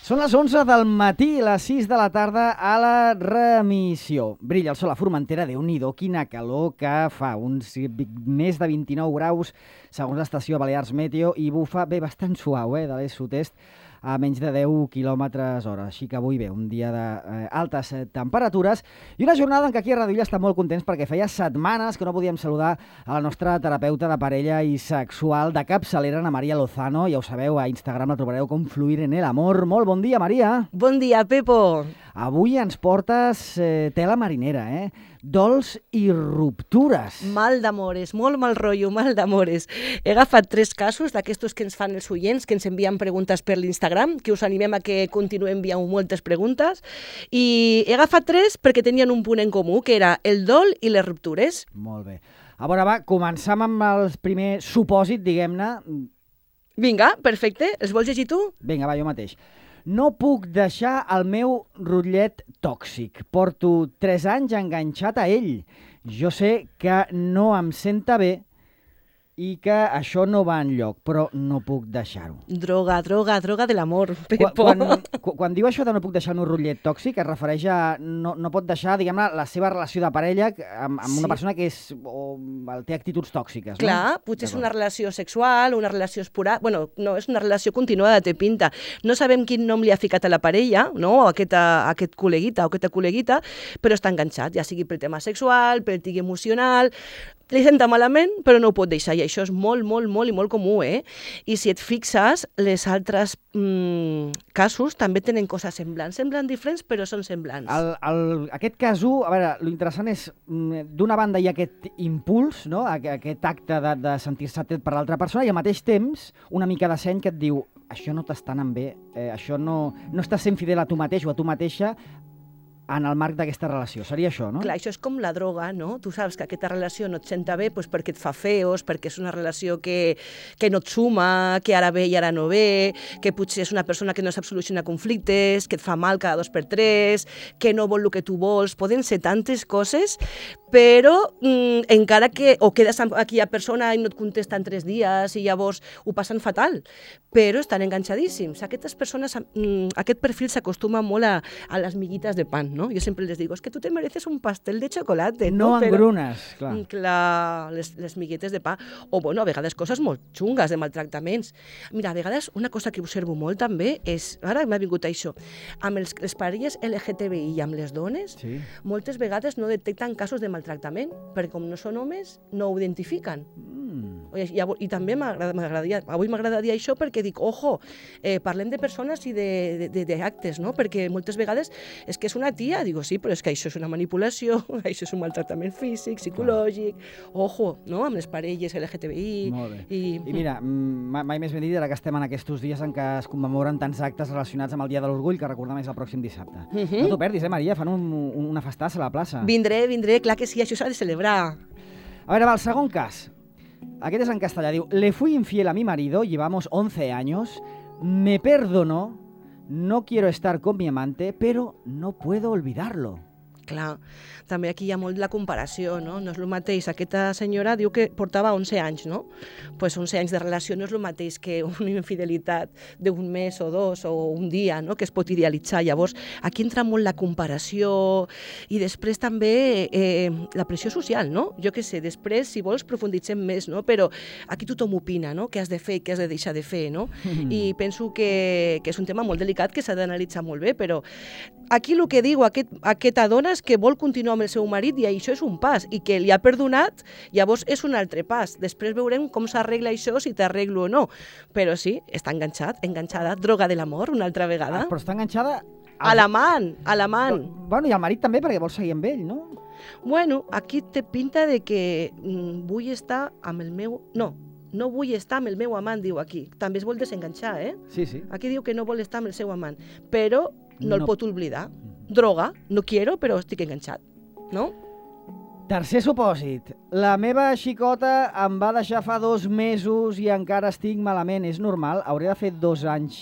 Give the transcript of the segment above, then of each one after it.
Són les 11 del matí, les 6 de la tarda a la remissió. Brilla el sol a Formentera, Déu-n'hi-do, quina calor que fa, uns més de 29 graus segons l'estació Balears Meteo i bufa bé bastant suau, de l'est sud-est a menys de 10 km/h. Així que avui bé, un dia d'altes temperatures i una jornada en què aquí a Radio Illa estem molt contents perquè feia setmanes que no podíem saludar a la nostra terapeuta de parella i sexual de capçalera, Ana Maria Lozano. Ja ho sabeu, a Instagram la trobareu com Fluir en el Amor. Molt bon dia, Maria. Bon dia, Pepo. Avui ens portes tela marinera, dols i ruptures. Mal d'amores, molt mal rotllo, mal d'amores. He agafat 3 casos d'aquestos que ens fan els oients, que ens envien preguntes per l'Instagram, que us animem a que continuem enviant moltes preguntes, i he agafat 3 perquè tenien un punt en comú, que era el dol i les ruptures. Molt bé. A veure, va, començam amb el primer supòsit, diguem-ne. Vinga, perfecte. Els vols llegir tu? Vinga, va, jo mateix. No puc deixar el meu rotllet tòxic. Porto 3 anys enganxat a ell. Jo sé que no em senta bé i que això no va enlloc, però no puc deixar-ho. Droga de l'amor, Pepo. Quan diu això de no puc deixar el meu rotllet tòxic, es refereix a no pot deixar, diguem-ne, la seva relació de parella amb una persona que té actituds tòxiques, no? Clar, potser és una relació sexual, una relació esporàdica. Bueno, no, és una relació continuada, té pinta. No sabem quin nom li ha ficat a la parella, no? A aquest col·leguita o aquesta col·leguita, però està enganxat, ja sigui pel tema sexual, pel tic emocional. Li senta malament, però no ho pot deixar, i això és molt comú, I si et fixes, les altres casos també tenen coses semblants. Semblen diferents, però són semblants. Aquest cas 1, a veure, l'interessant és, d'una banda hi ha aquest impuls, no? Aquest acte de sentir-se atret per l'altra persona, i al mateix temps una mica de seny que et diu això no t'està anant bé, això no estàs sent fidel a tu mateix o a tu mateixa en el marc d'aquesta relació. Seria això, no? Clar, això és com la droga, no? Tu saps que aquesta relació no et senta bé perquè et fa feos, perquè és una relació que no et suma, que ara ve i ara no ve, que potser és una persona que no sap solucionar conflictes, que et fa mal cada 2 per 3, que no vol el que tu vols. Poden ser tantes coses, però encara que o quedes amb aquella persona i no et contesta en 3 dies i llavors ho passen fatal, però estan enganxadíssims. Aquestes persones, aquest perfil s'acostuma molt a les miguites de pan, ¿no? Yo siempre les digo, es que tú te mereces un pastel de chocolate, ¿no? No engrunes, clar. Clar, les miguetes de pa. O, bueno, a vegades coses molt xungues de maltractaments. Mira, a vegades una cosa que observo molt també és, ara m'ha vingut això, amb les parelles LGTBI i amb les dones, sí, moltes vegades no detecten casos de maltractament, perquè com no són homes, no ho identifiquen. I també avui m'agradaria això perquè dic, ojo, parlem de persones i d'actes, no? Perquè moltes vegades és que és una tia, digo, sí, però és que això és una manipulació, això és un maltractament físic, psicològic, ojo, no? Amb les parelles LGTBI. Molt bé. I mira, mai més ben dit, ara que estem en aquests dies en què es commemoren tants actes relacionats amb el Dia de l'Orgull, que recordem és el pròxim dissabte. No t'ho perdis, Maria? Fan una festassa a la plaça. Vindré, clar que sí, això s'ha de celebrar. A veure, va, el segon cas. Aquest és en castellà, diu: le fui infiel a mi marido, llevamos 11 años, me perdonó, no quiero estar con mi amante, pero no puedo olvidarlo. Clar, també aquí hi ha molt la comparació, no? No és el mateix. Aquesta senyora diu que portava 11 anys, no? Pues 11 anys de relació no és el mateix que una infidelitat d'un mes o 2 o un dia, no? Que es pot idealitzar. Llavors, aquí entra molt la comparació i després també la pressió social, no? Jo què sé, després, si vols, profunditzem més, no? Però aquí tothom opina, no? Què has de fer i què has de deixar de fer, no? I penso que és un tema molt delicat que s'ha d'analitzar molt bé, però aquí el que diu aquesta dona és que vol continuar amb el seu marit i això és un pas, i que li ha perdonat, llavors és un altre pas. Després veurem com s'arregla això, si t'arreglo o no. Però sí, està enganxada, droga de l'amor, una altra vegada. Però està enganxada a l'amant. Bueno, i al marit també, perquè vol seguir amb ell, no? Bueno, aquí té pinta de que vull estar amb el meu... No vull estar amb el meu amant, diu aquí. També es vol desenganxar, Sí, sí. Aquí diu que no vol estar amb el seu amant, però no el pot oblidar. Droga, no quiero, però estic enganxat, no? Tercer supòsit. La meva xicota em va deixar fa 2 mesos i encara estic malament. És normal? Hauré de fer 2 anys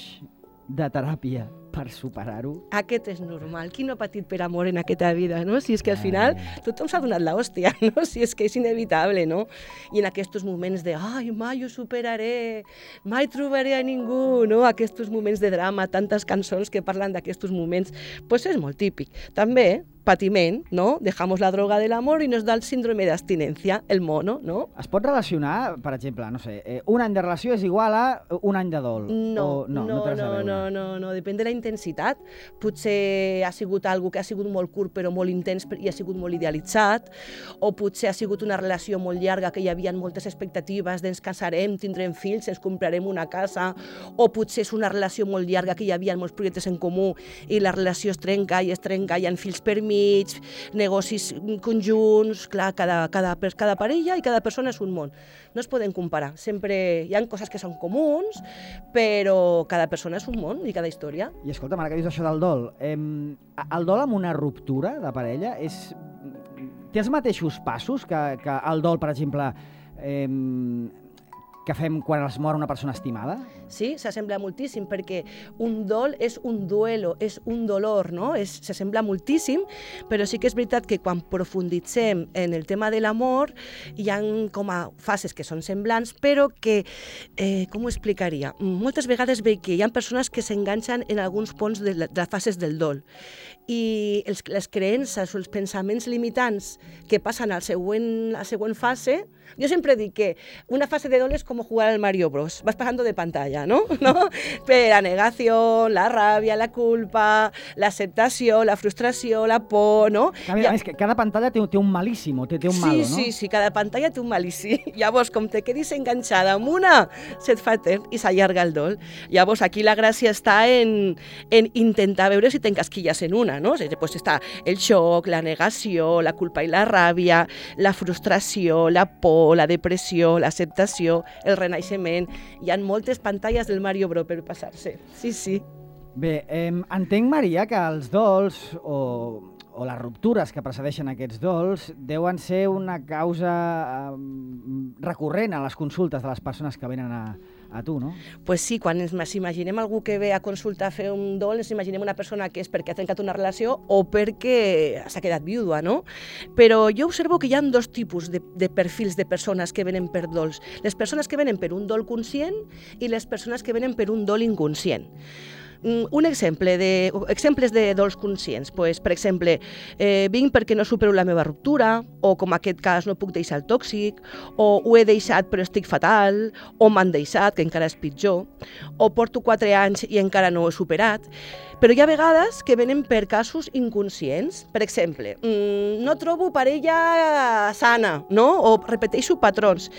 de teràpia per superar-ho? Aquest és normal. Qui no ha patit per amor en aquesta vida, no? Si és que al final tothom s'ha donat l'hòstia, no? Si és que és inevitable, no? I en aquests moments de ai, mai ho superaré, mai trobaré a ningú, no? Aquests moments de drama, tantes cançons que parlen d'aquests moments, pues és molt típic. També, patiment, no? Dejamos la droga del amor i nos da el síndrome d'abstinència, el mono, no? Es pot relacionar, per exemple, no sé, un any de relació és igual a un any de dol? No, no, depèn de la intensitat. Potser ha sigut algo que ha sigut molt curt però molt intens i ha sigut molt idealitzat, o potser ha sigut una relació molt llarga que hi havia moltes expectatives d'ens casarem, tindrem fills, ens comprarem una casa, o potser és una relació molt llarga que hi havia molts projectes en comú i la relació es trenca, hi ha fills per mig, negocis conjunts, clar, cada parella i cada persona és un món. No es poden comparar, sempre hi ha coses que són comuns, però cada persona és un món i cada història. I escolta'm, ara que dius això del dol, el dol amb una ruptura de parella té els mateixos passos que el dol, per exemple, que fem quan es mor una persona estimada? Sí, s'assembla moltíssim, perquè un dol és un duelo, és un dolor, no? S'assembla moltíssim, però sí que és veritat que quan profunditzem en el tema de l'amor hi ha com a fases que són semblants, però que, com ho explicaria? Moltes vegades veig que hi ha persones que s'enganxen en alguns punts de les fases del dol i les creences o els pensaments limitants que passen a la següent fase. Jo sempre dic que una fase de dol és com jugar al Mario Bros. Vas pasando de pantalla, ¿no? Per la negació, la ràbia, la culpa, l'acceptació, la frustració, la por, no? A més, que cada pantalla té un malíssim, té un malo, no? Sí, cada pantalla té un malíssim. Llavors, com te quedis enganxada amb una, se't fa etern i s'allarga el dol. Llavors, aquí la gràcia està en intentar veure si t'encasquilles en una, no? Pues està el xoc, la negació, la culpa i la ràbia, la frustració, la por, la depressió, l'acceptació, el renaixement. Hi ha moltes pantalles del Mario Bros per passar-se. Sí. Bé, entenc, Maria, que els dols o les ruptures que precedeixen aquests dols deuen ser una causa recurrent a les consultes de les persones que venen a tu, no? Pues sí, quan ens imaginem algú que ve a consultar a fer un dol, ens imaginem una persona que és perquè ha trencat una relació o perquè s'ha quedat viuda, no? Però jo observo que hi ha dos tipus de perfils de persones que venen per dols. Les persones que venen per un dol conscient i les persones que venen per un dol inconscient. Exemples de dols conscients. Pues, per exemple, vinc perquè no supero la meva ruptura, o com en aquest cas no puc deixar el tòxic, o ho he deixat però estic fatal, o m'han deixat, que encara és pitjor, o porto 4 anys i encara no ho he superat. Però hi ha vegades que venen per casos inconscients. Per exemple, no trobo parella sana, no? O repeteixo patrons.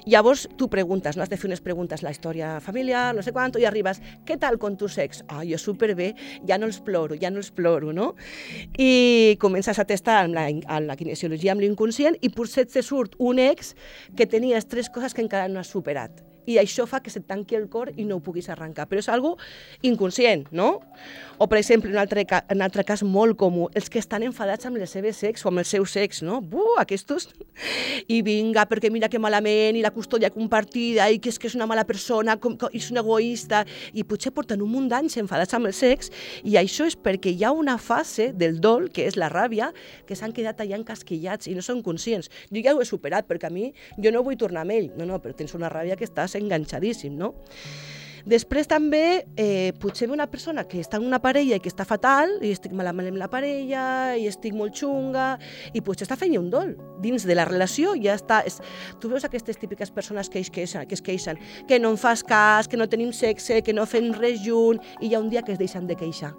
Llavors tu preguntes, no? Has de fer unes preguntes, la història familiar, no sé quant, i arribes, què tal con tu sex? Jo superbé, ja no els ploro, no? I comences a testar amb la kinesiologia, amb l'inconscient, i potser te surt un ex que tenies 3 coses que encara no has superat. I això fa que se't tanqui el cor i no ho puguis arrencar. Però és algo inconscient, no? O, per exemple, un altre cas molt comú, els que estan enfadats amb les seves ex o amb el seu sex, no? Aquests... I vinga, perquè mira que malament, i la custòdia compartida, i que és una mala persona, i és un egoista, i potser porten un munt d'anys enfadats amb el sex, i això és perquè hi ha una fase del dol, que és la ràbia, que s'han quedat allà encasquillats i no són conscients. Jo ja ho he superat, perquè a mi jo no vull tornar amb ell. No, però tens una ràbia que estàs enganxadíssim, no? Després també, potser ve una persona que està en una parella i que està fatal, i estic malament amb la parella, i estic molt xunga, i potser està fent un dol. Dins de la relació ja està... Tu veus aquestes típiques persones que es queixen, que no em fas cas, que no tenim sexe, que no fem res junt, i hi ha un dia que es deixen de queixar.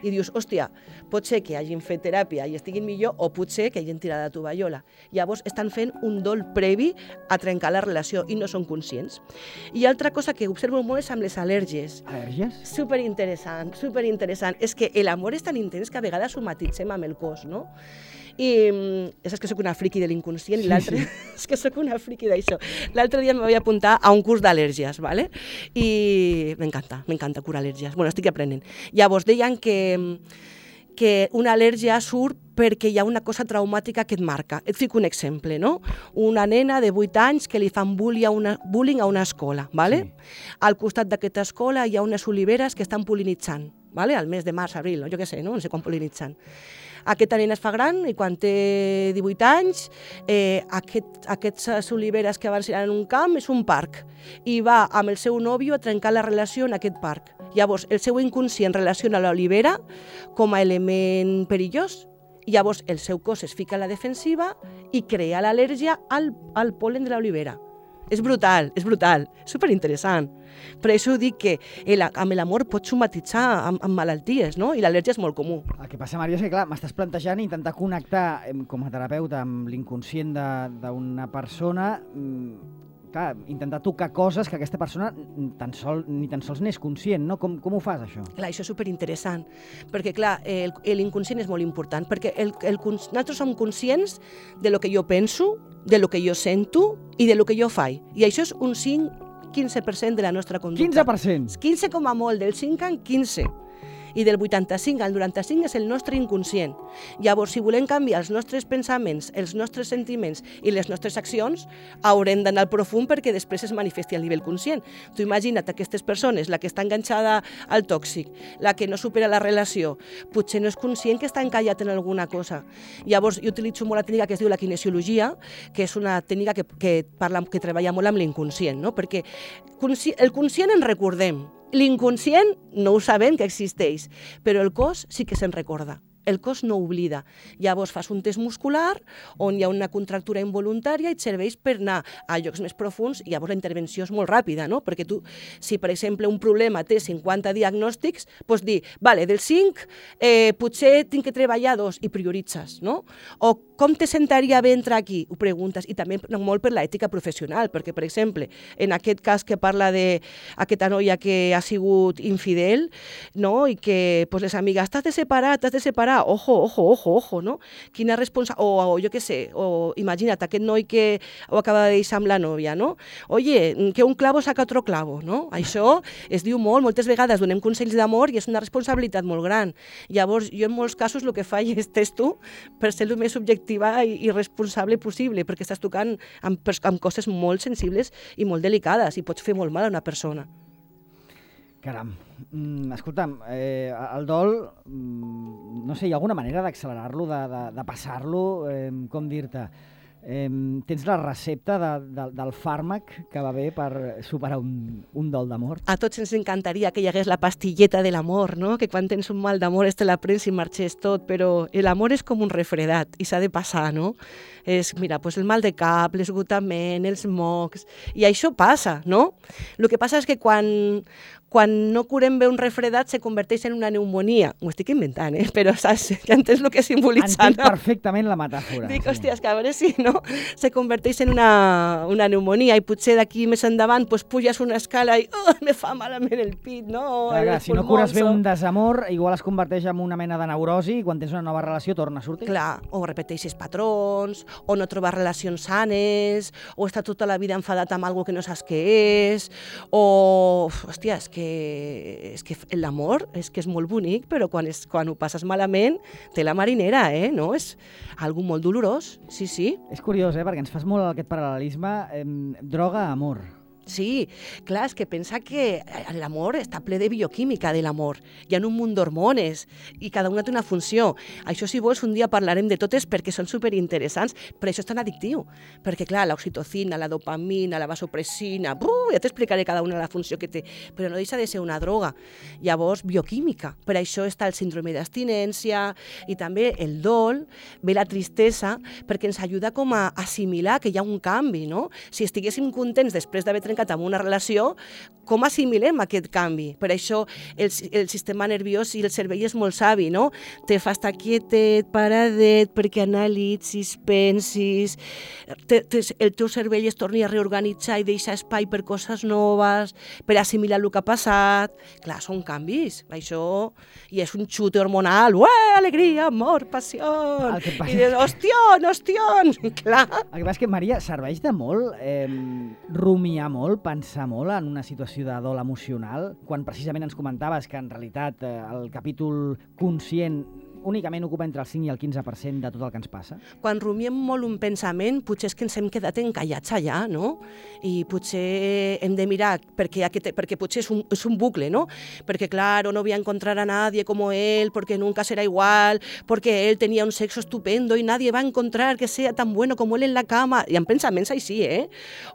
I dius, hòstia, pot ser que hagin fet teràpia i estiguin millor, o potser que hagin tirat la tovallola. Llavors estan fent un dol previ a trencar la relació i no són conscients. I altra cosa que observo molt és amb les al·lèrgies. Al·lèrgies? Superinteressant. És que l'amor és tan intens que a vegades ho matitzem amb el cos, no? I és que soc una friqui de l'inconscient, i l'altre és que soc una friqui d'això. L'altre dia me vaig apuntar a un curs d'al·lèrgies, ¿vale? I m'encanta curar al·lèrgies. Bueno, estic aprenent. Llavors deien que una al·lèrgia surt perquè hi ha una cosa traumàtica que et marca. Et fico un exemple, no? Una nena de 8 anys que li fan bullying a una escola, ¿vale? Sí. Al costat d'aquesta escola hi ha unes oliveres que estan pol·linitzant, vale? Al mes de març, abril, no? Jo què sé, no sé quan pol·linitzen. Aquesta nena es fa gran i quan té 18 anys, aquestes oliveres que abans eren en un camp és un parc i va amb el seu nòvio a trencar la relació en aquest parc. Llavors, el seu inconscient relaciona l'olivera com a element perillós. Llavors, el seu cos es fica a la defensiva i crea l'al·lèrgia al pol·len de l'olivera. És brutal, superinteressant. Per això dic que amb l'amor pots somatitzar amb malalties, no? I l'al·lèrgia és molt comú. El que passa, Maria, és que clar, m'estàs plantejant intentar connectar com a terapeuta amb l'inconscient d'una persona, clar, intentar tocar coses que aquesta persona ni tan sols n'és conscient, no? Com ho fas, això? Clar, això és superinteressant, perquè clar, l'inconscient és molt important, perquè nosaltres som conscients de lo que jo penso, de lo que jo sento i de lo que jo faig. I això és un 15% de la nostra conducta. 15%? 15 com a molt, del 5 en 15. I del 85 al 95 és el nostre inconscient. Llavors, si volem canviar els nostres pensaments, els nostres sentiments i les nostres accions, haurem d'anar al profund perquè després es manifesti a nivell conscient. Tu imagina't aquestes persones, la que està enganxada al tòxic, la que no supera la relació, potser no és conscient que està encallat en alguna cosa. Llavors, jo utilitzo molt la tècnica que es diu la kinesiologia, que és una tècnica que treballa molt amb l'inconscient, no? Perquè el conscient en recordem, l'inconscient no ho sabem que existeix, però el cos sí que se'n recorda. El cos no oblida. Llavors fas un test muscular on hi ha una contractura involuntària i et serveix per anar a llocs més profunds i llavors la intervenció és molt ràpida, no? Perquè tu, si per exemple un problema té 50 diagnòstics, pots dir, vale, del 5 potser tinc que treballar 2 i prioritzes, no? O com te sentaria bé entrar aquí? Ho preguntes. I també molt per l'ètica professional, perquè per exemple, en aquest cas que parla d'aquesta noia que ha sigut infidel, no? I que pues, les amigues, t'has de separar, ojo, no? Quina responsabilitat, o jo què sé, o imagina't aquest noi que ho acaba de deixar amb la nòvia, no? Oye, que un clavo saca otro clavo, no? Això es diu molt, moltes vegades donem consells d'amor i és una responsabilitat molt gran. Llavors, jo en molts casos el que faig és testo per ser el més objectiva i responsable possible, perquè estàs tocant amb coses molt sensibles i molt delicades i pots fer molt mal a una persona. Caram. Escolta'm, el dol, no sé, hi ha alguna manera d'accelerar-lo, de passar-lo, com dir-te? Tens la recepta del fàrmac que va bé per superar un dol d'amor? A tots ens encantaria que hi hagués la pastilleta de l'amor, no? Que quan tens un mal d'amor te la prens i marxés tot, però l'amor és com un refredat i s'ha de passar, no? Mira, pues el mal de cap, l'esgotament, els mocs, i això passa, no? El que passa és que quan no curem bé un refredat se converteix en una pneumonia. M'ho estic inventant, però saps? Ja entens el que simbolitzant. Entenc perfectament la metàfora. Dic, hòstia, que a veure si no se converteix en una pneumonia i potser d'aquí més endavant pues, puges una escala i me fa malament el pit, no? Clar, si no cures bé un desamor, igual es converteix en una mena de neurosi i quan tens una nova relació torna a sortir. Clar, o repeteixes patrons, o no trobes relacions sanes, o està tota la vida enfadat amb alguna que no saps què és, o, hòstia, és que l'amor és que és molt bonic, però quan ho passes malament té la marinera, no? És algo molt dolorós, sí. És curiós, perquè ens fas molt aquest paral·lelisme droga-amor. Sí, clar, és que pensa que l'amor està ple de bioquímica de l'amor. Hi ha un munt d'hormones i cada una té una funció. Això, si vols, un dia parlarem de totes perquè són superinteressants, però això és tan addictiu. Perquè, clar, l'oxitocina, la dopamina, la vasopressina, ja t'explicaré cada una la funció que té, però no deixa de ser una droga. Llavors, bioquímica. Per això està el síndrome d'abstinència i també el dol, ve la tristesa, perquè ens ajuda com a assimilar que hi ha un canvi, no? Si estiguéssim contents després d'haver trencat amb una relació, com assimilem aquest canvi? Per això el sistema nerviós i el cervell és molt savi, no? Te fa estar quietet, paradet, perquè analitzis, pensis, el teu cervell es torni a reorganitzar i deixa espai per coses noves, per assimilar el que ha passat. Clar, són canvis, això, i és un xute hormonal, alegria, amor, passió, i dius, ostion, clar. El que passa és que, Maria, serveix de molt rumiar molt, pensar molt en una situació de dol emocional, quan precisament ens comentaves que en realitat el capítol conscient únicament ocupa entre el 5 i el 15% de tot el que ens passa? Quan rumiem molt un pensament, potser és que ens hem quedat encallats allà, no? I potser hem de mirar, perquè potser és un bucle, ¿no? Porque claro, no voy a encontrar a nadie como él, porque nunca será igual, porque él tenía un sexo estupendo y nadie va a encontrar que sea tan bueno como él en la cama. Hi ha pensaments així,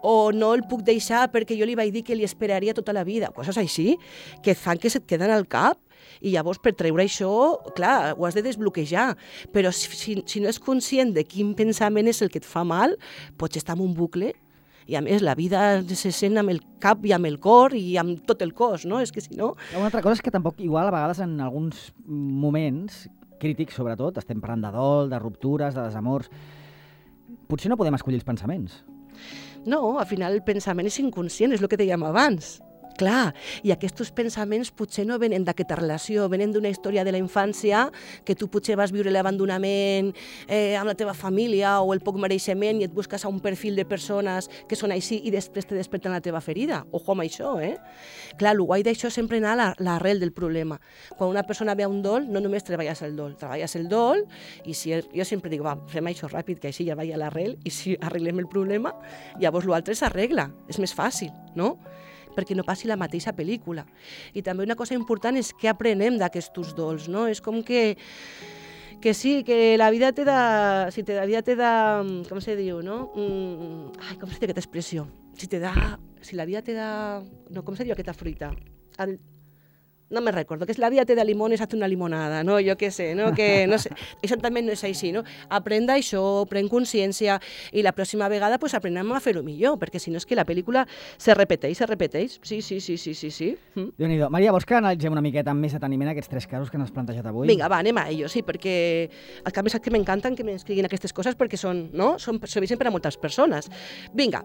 O no el puc deixar perquè jo li vaig dir que li esperaria tota la vida. Coses així que fan que se't queden al cap. I llavors, per treure això, clar, ho has de desbloquejar. Però si no és conscient de quin pensament és el que et fa mal, pots estar en un bucle. I a més, la vida se sent amb el cap i amb el cor i amb tot el cos, no? És que si no... Una altra cosa és que tampoc, igual, a vegades en alguns moments crítics, sobretot, estem parlant de dol, de ruptures, de desamors, potser no podem escollir els pensaments. No, al final el pensament és inconscient, és el que dèiem abans. Clar, i aquests pensaments potser no venen d'aquesta relació, venen d'una història de la infància que tu potser vas viure l'abandonament amb la teva família o el poc mereixement i et busques a un perfil de persones que són així i després te desperten la teva ferida. Ojo amb això, Clar, el guai d'això és sempre anar a l'arrel del problema. Quan una persona ve a un dol, no només treballes el dol i si jo sempre dic, va, fem això ràpid, que així ja vaig a l'arrel i si arreglem el problema, llavors l'altre s'arregla, és més fàcil, no? Perquè no passi la mateixa pel·lícula. I també una cosa important és què aprenem d'aquests dols, no? És com que sí, que la vida te da... la vida te da... Com se diu, no? Com se diu aquesta expressió? Si la vida te da... No, com se diu aquesta fruita? No me recordo, que la vida te da limones, haz una limonada, no? Jo què sé, no? Que no sé, això també no és així, no? Aprèn d'això, pren consciència i la pròxima vegada pues, aprenem a fer-ho millor, perquè si no és que la pel·lícula se repeteix. Sí. Déu-n'hi-do. Maria, vols que analitzem una miqueta amb més deteniment aquests 3 casos que n'has plantejat avui? Vinga, va, anem a ells, sí, perquè el canvi és que m'encanten que m'escriguin aquestes coses perquè són, no? Serveixen per a moltes persones. Vinga,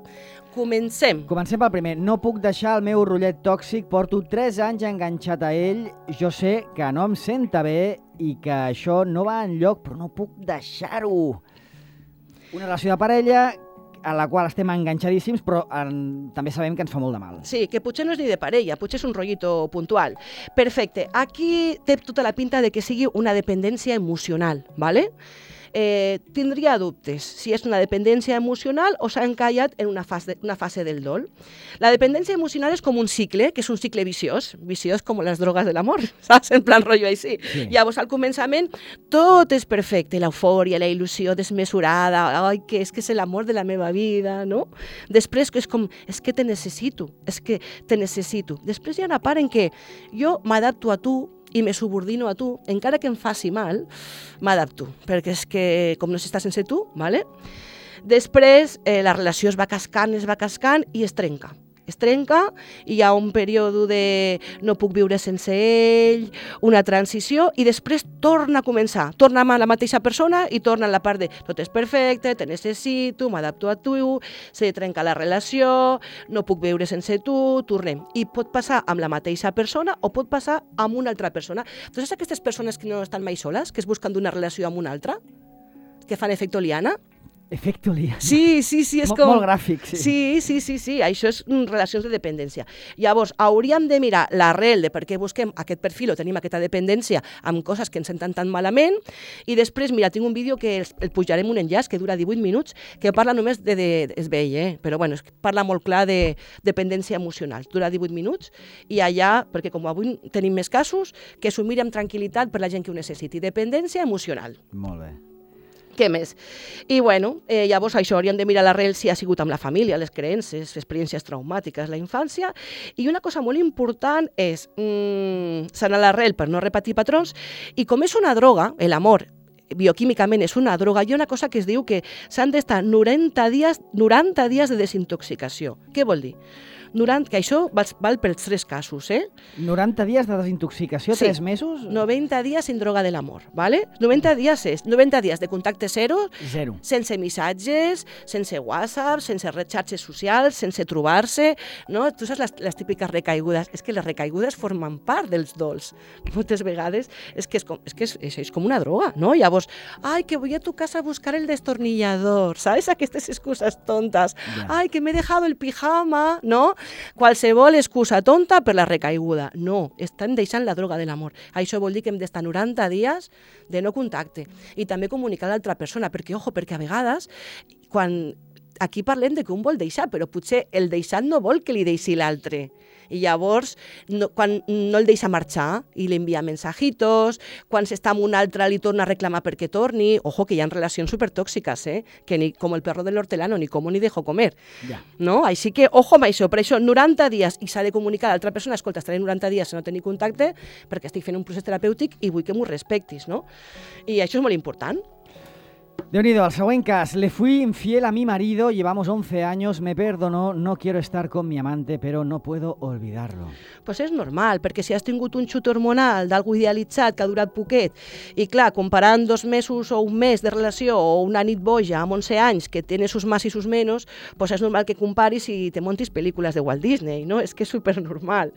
comencem. Comencem pel primer. No puc deixar el meu rotllet tòxic, porto 3 anys enganxat a ell, jo sé que no em senta bé i que això no va enlloc, però no puc deixar-ho. Una relació de parella a la qual estem enganxadíssims, però també sabem que ens fa molt de mal. Sí, que potser no és ni de parella, potser és un rollito puntual. Perfecte. Aquí té tota la pinta de que sigui una dependència emocional, ¿vale? Tindria dubtes si és una dependència emocional o s'ha encallat en una fase del dol. La dependència emocional és com un cicle, que és un cicle viciós com les drogues de l'amor, saps? En plan rotllo així. Sí. Llavors, al començament, tot és perfecte, l'eufòria, la il·lusió desmesurada, ai, que és l'amor de la meva vida, no? Després és com, és que te necessito. Després hi ha una part en què jo m'adapto a tu, i me subordino a tu, encara que em faci mal, m'adapto, perquè és que com no s'està sense tu, ¿vale? Després la relació es va cascant i es trenca. I hi ha un període de no puc viure sense ell, una transició, i després torna a començar. Torna amb la mateixa persona i torna en la part de tot és perfecte, te necessito, m'adapto a tu, se trenca la relació, no puc viure sense tu, tornem. I pot passar amb la mateixa persona o pot passar amb una altra persona. Tu saps aquestes persones que no estan mai soles, que es busquen d'una relació amb una altra, que fan efecte liana? Efecte liana. Sí, és com... Molt gràfic, sí. Sí, això és relacions de dependència. Llavors, hauríem de mirar l'arrel de per què busquem aquest perfil o tenim aquesta dependència amb coses que ens senten tan malament, i després, mira, tinc un vídeo que el pujarem un enllaç que dura 18 minuts, que parla només és vell, però bueno, parla molt clar de dependència emocional. Dura 18 minuts, i allà, perquè com avui tenim més casos, que s'ho miri amb tranquil·litat per la gent que ho necessiti. Dependència emocional. Molt bé. Què més? I bueno, llavors això hauríem de mirar l'arrel si ha sigut amb la família, les creences, experiències traumàtiques, la infància, i una cosa molt important és sanar l'arrel per no repetir patrons, i com és una droga, l'amor bioquímicament és una droga, hi ha una cosa que es diu que s'han d'estar 90 dies de desintoxicació. Què vol dir? Que això val pels 3 casos, 90 dies de desintoxicació, 3 mesos? 90 dies sin droga de l'amor, ¿vale? 90 dies de contacte zero, sense missatges, sense WhatsApp, sense xarxes socials, sense trobar-se, no? Tu saps les típiques recaigudes? És que les recaigudes formen part dels dols. Moltes vegades és com una droga, no? Llavors, ai, que voy a tu casa a buscar el destornillador, ¿sabes? Aquestes excuses tontes. Ai, que m'he dejado el pijama, no? qualsevol excusa tonta per la recaiguda. No, estan deixant la droga de l'amor. Això vol dir que hem d'estar 90 dies de no contacte. I també comunicar a l'altra persona, perquè a vegades, quan aquí parlem de que un vol deixar, però potser el deixat no vol que li deixi l'altre. I llavors, quan no el deixa marxar i li envia mensajitos, quan s'està amb un altre li torna a reclamar perquè torni, ojo, que hi ha relacions supertòxiques, que ni com el perro del hortelano, ni como ni dejo comer. Ja. No? Així que, ojo amb això, per això 90 dies, i s'ha de comunicar a l'altra persona, escolta, estaré 90 dies sense no tenir contacte perquè estic fent un procés terapèutic i vull que m'ho respectis, no? I això és molt important. Déu-n'hi-do, el següent cas. Le fui infiel a mi marido, llevamos 11 años, me perdonó, no quiero estar con mi amante, pero no puedo olvidarlo. Pues és normal, perquè si has tingut un xut hormonal d'algú idealitzat que ha durat poquet, i clar, comparant 2 mesos o un mes de relació o una nit boja amb 11 anys que tiene sus más i sus menos, pues és normal que comparis i te montis pel·lícules de Walt Disney, no? És que és supernormal.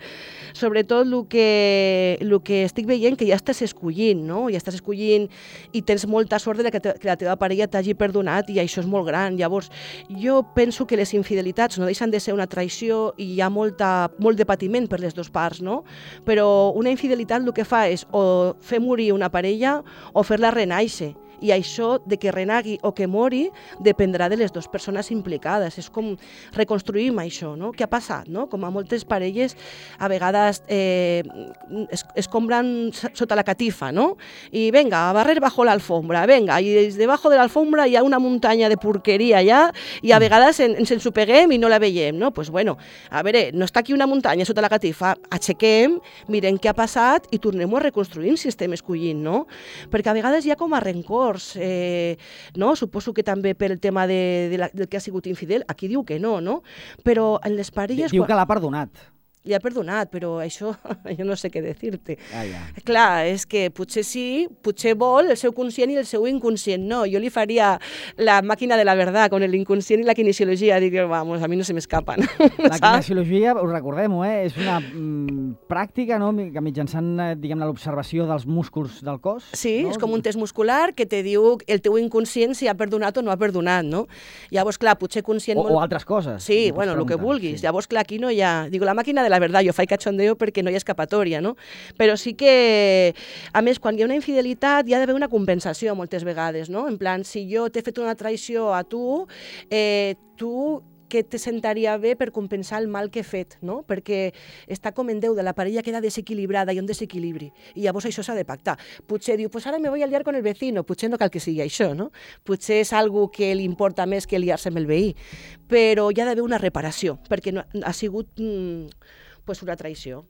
Sobretot el que estic veient que ja estàs escollint, no? Ja estàs escollint i tens molta sort de que la teva parella t'hagi perdonat i això és molt gran. Llavors, jo penso que les infidelitats no deixen de ser una traïció i hi ha molt de patiment per les dues parts, no? Però una infidelitat el que fa és o fer morir una parella o fer-la renaixer. I això de que renagui o que mori dependrà de les dues persones implicades. És com reconstruïm això, no? Què ha passat, no? Com a moltes parelles a vegades es compran sota la catifa, no? I venga, a barrer bajo la alfombra, venga, i debajo de l'alfombra hi ha una muntanya de porqueria allà i a vegades ens ensopeguem i no la veiem, no? Pues bueno, a veure, no està aquí una muntanya sota la catifa, aixequem, mirem què ha passat i tornem a reconstruir si estem escollint, no? Perquè a vegades hi ha com a rencor, no? Suposo que també per el tema del que ha sigut infidel, aquí diu que no, no? Però en les parelles... Diu que l'ha perdonat. Li ha perdonat, però això jo no sé què dir-te. Ja. Clar, és que potser sí, potser vol el seu conscient i el seu inconscient no. Jo li faria la màquina de la verdad con el inconscient i la kinesiologia. Dic, vamos, a mi no se m'escapen. La kinesiologia, us recordem-ho, és una pràctica, no?, que mitjançant, diguem-ne, l'observació dels músculs del cos. Sí, no? És com un test muscular que te diu el teu inconscient si ha perdonat o no ha perdonat, no? Llavors, clar, potser conscient... O altres coses. Sí, bueno, el que vulguis. Sí. Llavors, clar, aquí no hi ha... Digo, la màquina de la verdad, jo faig cachondeo perquè no hi ha escapatòria, no? Però sí que, a més, quan hi ha una infidelitat hi ha d'haver una compensació moltes vegades, no? En plan, si jo t'he fet una traïció a tu, tu que te sentaria bé per compensar el mal que he fet, no? Perquè està com en Déu, de la parella queda desequilibrada, hi ha un desequilibri, i llavors això s'ha de pactar. Potser diu, pues ara me voy a liar con el vecino, potser no cal que sigui això, no? Potser és algo que li importa més que liar-se amb el veí, però hi ha d'haver una reparació, perquè no, ha sigut pues una traïció.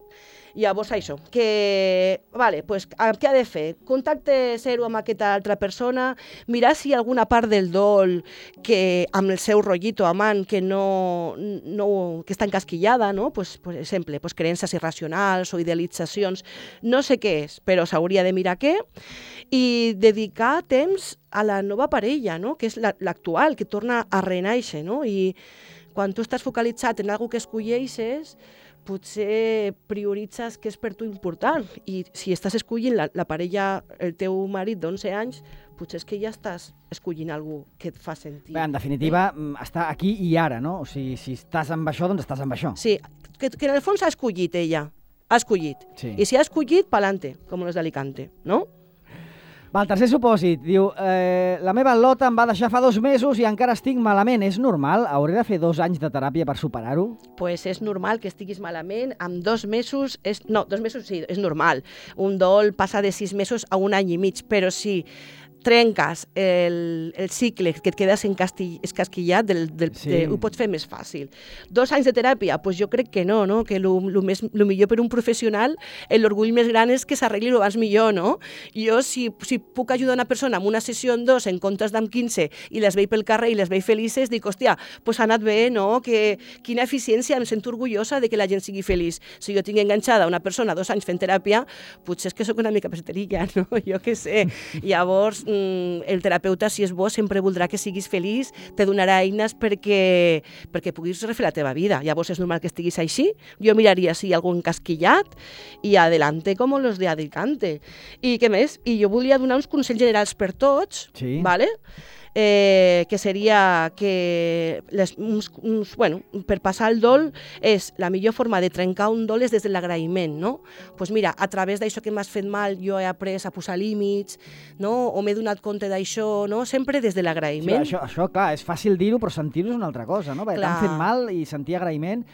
Llavors això, que, vale, pues, què ha de fer? Contacte zero amb aquesta altra persona, mirar si hi ha alguna part del dol que amb el seu rotllito amant que que està encasquillada, no? Pues, per exemple, pues, creences irracionals o idealitzacions, no sé què és, però s'hauria de mirar què, i dedicar temps a la nova parella, no? Que és l'actual, que torna a renaixer, no? I quan tu estàs focalitzat en alguna que escolleixes, potser prioritzes què és per tu important. I si estàs escollint la parella, el teu marit d'11 anys, potser és que ja estàs escollint algú que et fa sentir. Bé, en definitiva, està aquí i ara, no? O sigui, si estàs amb això, doncs estàs amb això. Sí, que en el fons ha escollit ella. Ha escollit. Sí. I si ha escollit, pa'lante, com los d'Alicante, no? Va, el tercer supòsit, diu, la meva lota em va deixar fa 2 mesos i encara estic malament. És normal? Hauré de fer 2 anys de teràpia per superar-ho? Pues és normal que estiguis malament. Amb 2 mesos... No, 2 mesos sí, és normal. Un dol passa de 6 mesos a 1 any i mig, però sí, trenques el cicle, que et quedes escasquillat, ho pots fer més fàcil. 2 anys de teràpia? Pues jo crec que no, que el millor per un professional, l'orgull més gran és que s'arregli el abans millor, no? Jo, si puc ajudar una persona amb una sessió en 2 en comptes d'en 15 i les veig pel carrer i les veig felices, dic, hòstia, pues ha anat bé, no? Quina eficiència, em sento orgullosa de que la gent sigui feliç. Si jo tinc enganxada una persona 2 anys fent teràpia, potser és que sóc una mica peseterilla, no? Jo què sé. Llavors, el terapeuta, si és bo, sempre voldrà que siguis feliç, te donarà eines perquè puguis refer la teva vida. Llavors és normal que estiguis així. Jo miraria si hi ha algun casquillat i adelante com los de Alicante. I què més? I jo volia donar uns consells generals per tots, Sí. ¿vale? Que seria que per passar el dol és la millor forma de trencar un dol és des de l'agraïment, no? Pues mira, a través d'això que m'has fet mal jo he après a posar límits, no? O m'he donat compte d'això, no? Sempre des de l'agraïment. Sí, això, clar, és fàcil dir-ho, però sentir-ho és una altra cosa, no? Perquè t'han fet mal i sentir agraïment,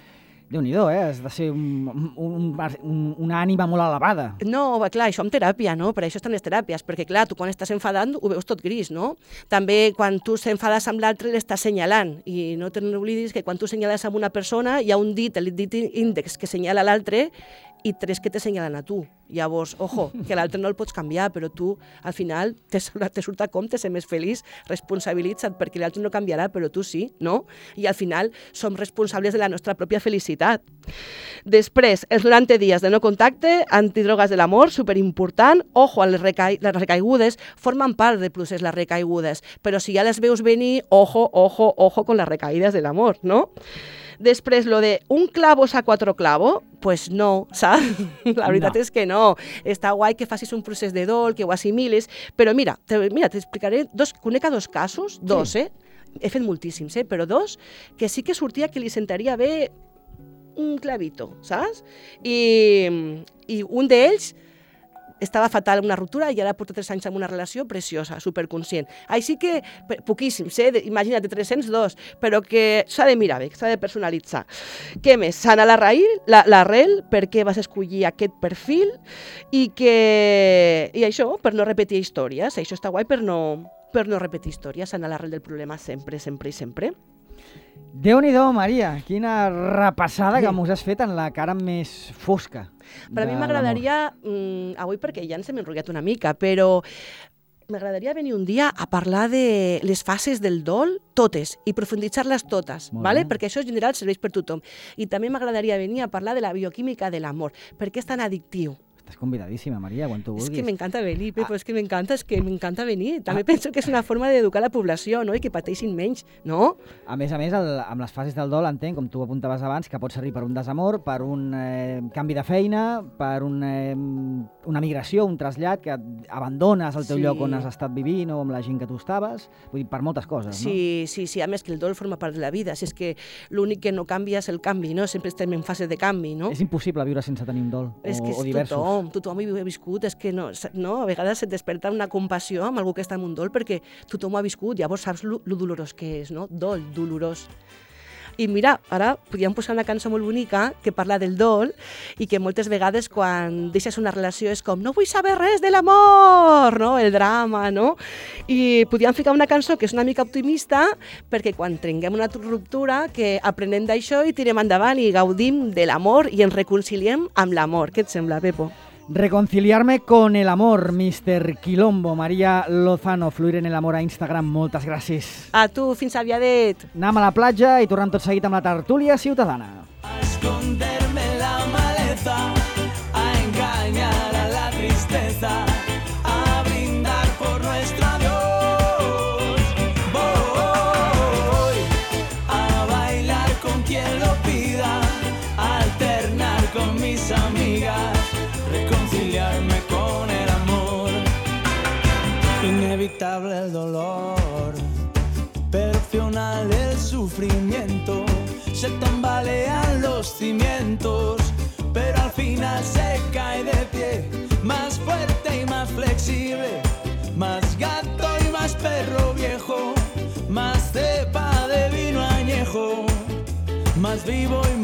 Déu-n'hi-do, has de ser una ànima molt elevada. No, clar, això amb teràpia, no? Per això estan les teràpies, perquè clar, tu quan estàs enfadant ho veus tot gris, no? També quan tu s'enfades amb l'altre l'estàs senyalant, i no te n'oblidis que quan tu senyales amb una persona hi ha un dit, el dit índex que senyala l'altre i 3 que te senyalen a tu. Llavors, ojo, que l'altre no el pots canviar, però tu, al final, te surt a compte ser més feliç, responsabilitza't, perquè l'altre no canviarà, però tu sí, no? I al final som responsables de la nostra pròpia felicitat. Després, els 90 dies de no contacte, antidrogues de l'amor, superimportant, ojo, les recaigudes, formen part del procés les recaigudes, però si ja les veus venir, ojo con las recaídas del amor, no? Després, lo de un clavo saca otro clavo, pues no, saps? La veritat és que no. Està guai que facis un procés de dol, que ho assimiles, però mira, t'explicaré conec a 2 casos, 2, he fet moltíssims, però 2, que sí que sortia que li sentaria bé un clavito, saps? I un d'ells estava fatal en una ruptura i ara porta 3 anys en una relació preciosa, superconscient. Així que, poquíssims, imagina't, 302, però que s'ha de mirar bé, s'ha de personalitzar. Què més? Sanar l'arrel, per què vas escollir aquest perfil i això, per no repetir històries. Això està guai per no repetir històries, sanar l'arrel del problema sempre, sempre i sempre. Déu-n'hi-do, Maria, quina repassada que mos has fet en la cara més fosca. Per a mi m'agradaria, avui perquè ja ens hem enrotllat una mica, però m'agradaria venir un dia a parlar de les fases del dol, totes, i profunditzar-les totes, ¿vale? Perquè això en general serveix per tothom. I també m'agradaria venir a parlar de la bioquímica de l'amor, perquè és tan addictiu. Estàs convidadíssima, Maria, quan tu vulguis. És que m'encanta venir, Pepo, és que m'encanta venir. També penso que és una forma d'educar la població, no? I que pateixin menys, no? A més, amb les fases del dol, entenc, com tu apuntaves abans, que pot servir per un desamor, per un canvi de feina, per una migració, un trasllat, que abandones el teu lloc on has estat vivint o amb la gent que tu estaves, vull dir, per moltes coses, no? Sí, a més que el dol forma part de la vida, si és que l'únic que no canvia és el canvi, no? Sempre estem en fase de canvi, no? És impossible viure sense tenir un dol, o diversos. Tothom hi ha viscut, és que no, a vegades et desperta una compassió amb algú que està en un dol perquè tothom ho ha viscut, llavors saps lo dolorós que és, no? Dol, dolorós. I mira, ara podríem posar una cançó molt bonica que parla del dol i que moltes vegades quan deixes una relació és com no vull saber res de l'amor, no? El drama, no? I podríem ficar una cançó que és una mica optimista perquè quan trenquem una ruptura que aprenem d'això i tirem endavant i gaudim de l'amor i ens reconciliem amb l'amor. Què et sembla, Pepo? Reconciliarme con el amor, Mr. Quilombo. Maria Lozano, Fluir en el amor a Instagram, moltes gràcies. A tu, fins aviadet. Anem a la platja i tornem tot seguit amb la tertúlia ciutadana. A esconderme la maleza, a engañar a la tristeza, a brindar por nuestro adiós. Voy a bailar con quien lo pida, a alternar con mis amigas, reconciliarme con el amor. Inevitable el dolor, perfeccionar el sufrimiento, se tambalean los cimientos, pero al final se cae de pie, más fuerte y más flexible, más gato y más perro viejo, más cepa de vino añejo, más vivo y más